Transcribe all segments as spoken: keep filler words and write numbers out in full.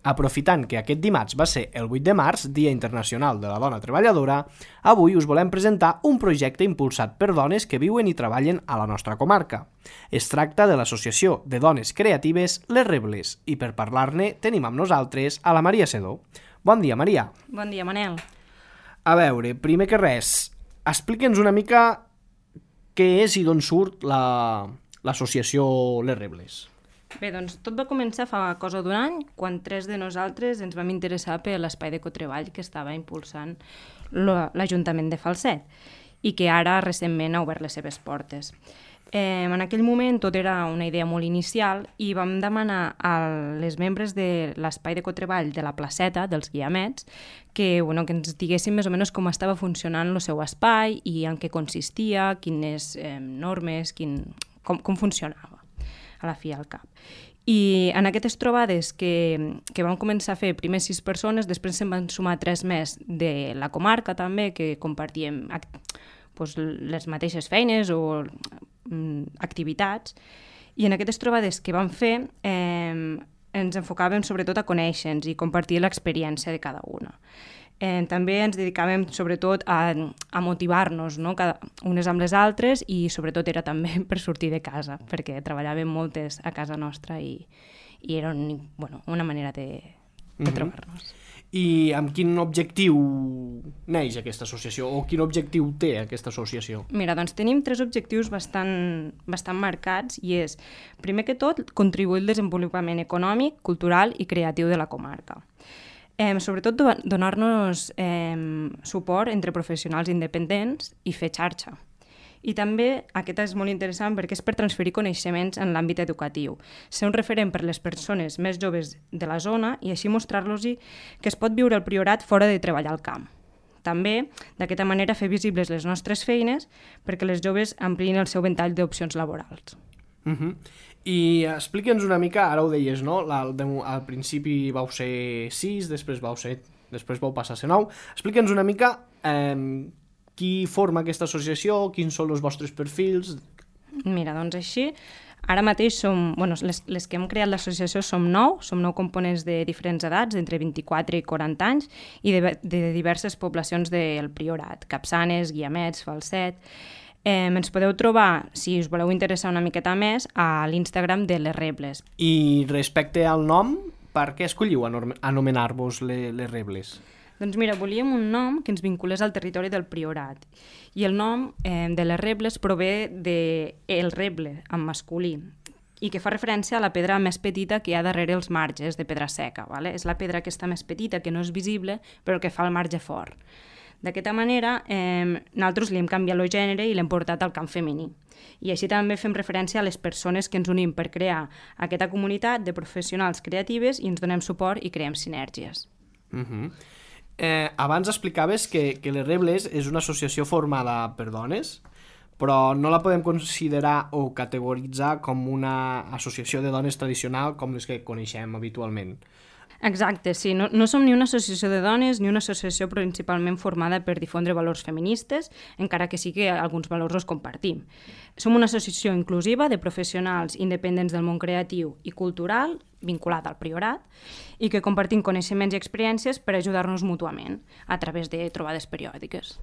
Aprofitant que aquest dimarts va ser el vuit de març, Dia Internacional de la Dona Treballadora, avui us volem presentar un projecte impulsat per dones que viuen i treballen a la nostra comarca. Es tracta de l'Associació de Dones Creatives Les Rebles i per parlar-ne tenim amb nosaltres a la Maria Sedó. Bon dia, Maria. Bon dia, Manel. A veure, primer que res, explica'ns una mica què és i d'on surt la, l'associació Les Rebles. Bé, doncs tot va començar fa cosa d'un any, quan tres de nosaltres ens vam interessar per l'espai d'ecotreball que estava impulsant l'Ajuntament de Falset i que ara recentment ha obert les seves portes. Eh, en aquell moment tot era una idea molt inicial i vam demanar a les membres de l'espai d'ecotreball de la placeta, dels Guiamets, que, bueno, que ens diguessin més o menys com estava funcionant el seu espai i en què consistia, quines eh, normes, quin, com, com funcionava a la fi al cap. I en aquestes trobades que, que vam començar a fer primer sis persones, després se'n van sumar tres més de la comarca també, que compartíem doncs, les mateixes feines o mm, activitats, i en aquestes trobades que vam fer eh, ens enfocàvem sobretot a conèixer-nos i compartir l'experiència de cada una. Eh, també ens dedicàvem sobretot a, a motivar-nos, no? Cada, unes amb les altres, i sobretot era també per sortir de casa, perquè treballàvem moltes a casa nostra i, i era un, bueno, una manera de, de mm-hmm. trobar-nos. I amb quin objectiu neix aquesta associació o quin objectiu té aquesta associació? Mira, doncs tenim tres objectius bastant, bastant marcats i és, primer que tot, contribuir al desenvolupament econòmic, cultural i creatiu de la comarca. Eh, sobretot donar-nos eh, suport entre professionals independents i fer xarxa. I també, aquest és molt interessant perquè és per transferir coneixements en l'àmbit educatiu, ser un referent per les persones més joves de la zona i així mostrar-los que es pot viure el Priorat fora de treballar al camp. També, d'aquesta manera, fer visibles les nostres feines perquè les joves ampliïn el seu ventall d'opcions laborals. Uh-huh. I explica'ns una mica, ara ho deies, no? Al, al principi vau ser sis, després vau ser, després vau passar a ser nou. Explica'ns una mica eh, qui forma aquesta associació, quins són els vostres perfils. Mira, doncs així, ara mateix som, bueno, les, les que hem creat l'associació som nou, som nou components de diferents edats, d'entre vint-i-quatre i quaranta anys, i de, de diverses poblacions del Priorat, Capçanes, Guiamets, Falset. Eh, ens podeu trobar, si us voleu interessar una miqueta més, a l'Instagram de Les Rebles. I respecte al nom, per què escolliu anomenar-vos les, les Rebles? Doncs mira, volíem un nom que ens vinculés al territori del Priorat. I el nom eh, de Les Rebles prové de el reble, en masculí, i que fa referència a la pedra més petita que hi ha darrere els marges de pedra seca. Vale? És la pedra aquesta més petita, que no és visible, però que fa el marge fort. D'aquesta manera, eh, nosaltres li hem canviat el gènere i l'hem portat al camp femení. I així també fem referència a les persones que ens unim per crear aquesta comunitat de professionals creatives i ens donem suport i creem sinergies. Uh-huh. eh, abans explicaves que, que Les Rebles és una associació formada per dones, però no la podem considerar o categoritzar com una associació de dones tradicional com les que coneixem habitualment. Exacte, sí. No, no som ni una associació de dones ni una associació principalment formada per difondre valors feministes, encara que sí que alguns valors els compartim. Som una associació inclusiva de professionals independents del món creatiu i cultural, vinculat al Priorat, i que compartim coneixements i experiències per ajudar-nos mútuament a través de trobades periòdiques.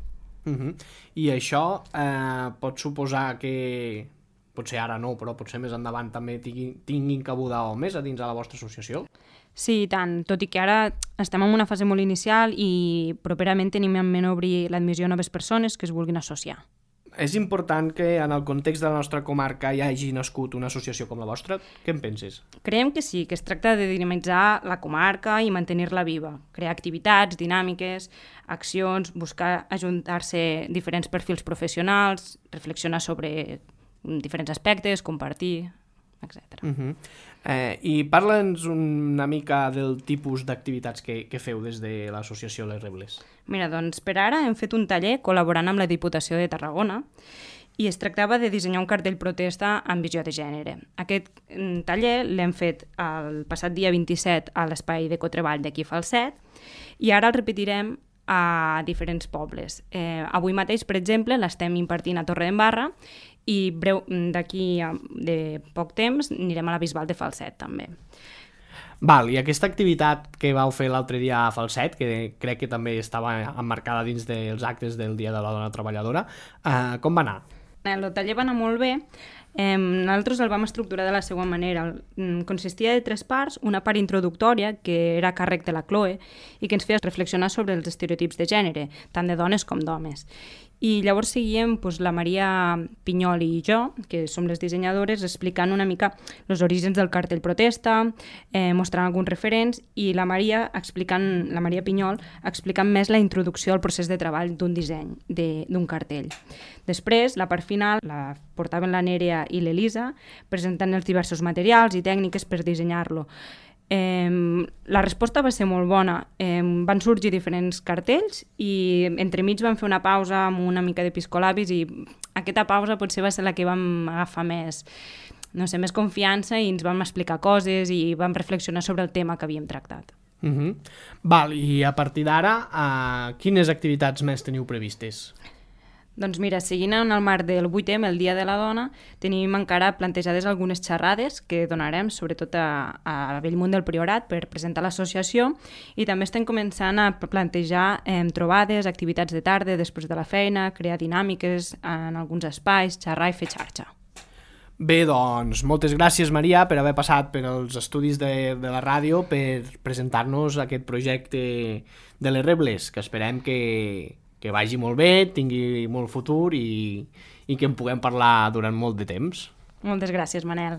Uh-huh. I això eh, pot suposar que, potser ara no, però potser més endavant també tinguin, tinguin cabuda homes a dins de la vostra associació? Sí, i tant, tot i que ara estem en una fase molt inicial i properament tenim en ment obrir l'admissió a noves persones que es vulguin associar. És important que en el context de la nostra comarca hi hagi nascut una associació com la vostra? Què en penses? Creiem que sí, que es tracta de dinamitzar la comarca i mantenir-la viva, crear activitats, dinàmiques, accions, buscar ajuntar-se diferents perfils professionals, reflexionar sobre diferents aspectes, compartir, etcètera. Uh-huh. Eh, I parla'ns una mica del tipus d'activitats que, que feu des de l'associació Les Rebles. Mira, doncs per ara hem fet un taller col·laborant amb la Diputació de Tarragona i es tractava de dissenyar un cartell protesta amb visió de gènere. Aquest taller l'hem fet el passat dia vint-i-set a l'espai d'ecotreball d'aquí Falset i ara el repetirem a diferents pobles. Eh, avui mateix, per exemple, l'estem impartint a Torredembarra i breu d'aquí de poc temps anirem a la Bisbal de Falset també. Val, i aquesta activitat que vau fer l'altre dia a Falset, que crec que també estava emmarcada dins dels actes del Dia de la Dona Treballadora, eh, com va anar? El taller va anar molt bé. Eh, nosaltres el vam estructurar de la següent manera. Consistia de tres parts, una part introductòria, que era a càrrec de la Chloe, i que ens feia reflexionar sobre els estereotips de gènere, tant de dones com d'homes. I llavors seguíem doncs, la Maria Pinyol i jo, que som les dissenyadores, explicant una mica els orígens del cartell protesta, eh, mostrant alguns referents, i la Maria explicant, la Maria Pinyol explicant més la introducció al procés de treball d'un disseny, d'un cartell. Després, la part final, la portaven la Nerea i l'Elisa, presentant els diversos materials i tècniques per dissenyar-lo. Eh, la resposta va ser molt bona. Eh, van sorgir diferents cartells i entremig vam fer una pausa amb una mica de piscolabis i aquesta pausa potser va ser la que vam agafar més, no sé, més confiança i ens vam explicar coses i vam reflexionar sobre el tema que havíem tractat. Uh-huh. Val, i a partir d'ara, uh, quines activitats més teniu previstes? Doncs mira, seguint en el marc del vuit eme, el Dia de la Dona, tenim encara plantejades algunes xerrades que donarem, sobretot a, a Bellmunt del Priorat, per presentar l'associació, i també estem començant a plantejar eh, trobades, activitats de tarda, després de la feina, crear dinàmiques en alguns espais, xerrar i fer xarxa. Bé, doncs, moltes gràcies, Maria, per haver passat per els estudis de, de la ràdio per presentar-nos aquest projecte de les Rebles, que esperem que... que vagi molt bé, tingui molt futur i, i que en puguem parlar durant molt de temps. Moltes gràcies, Manel.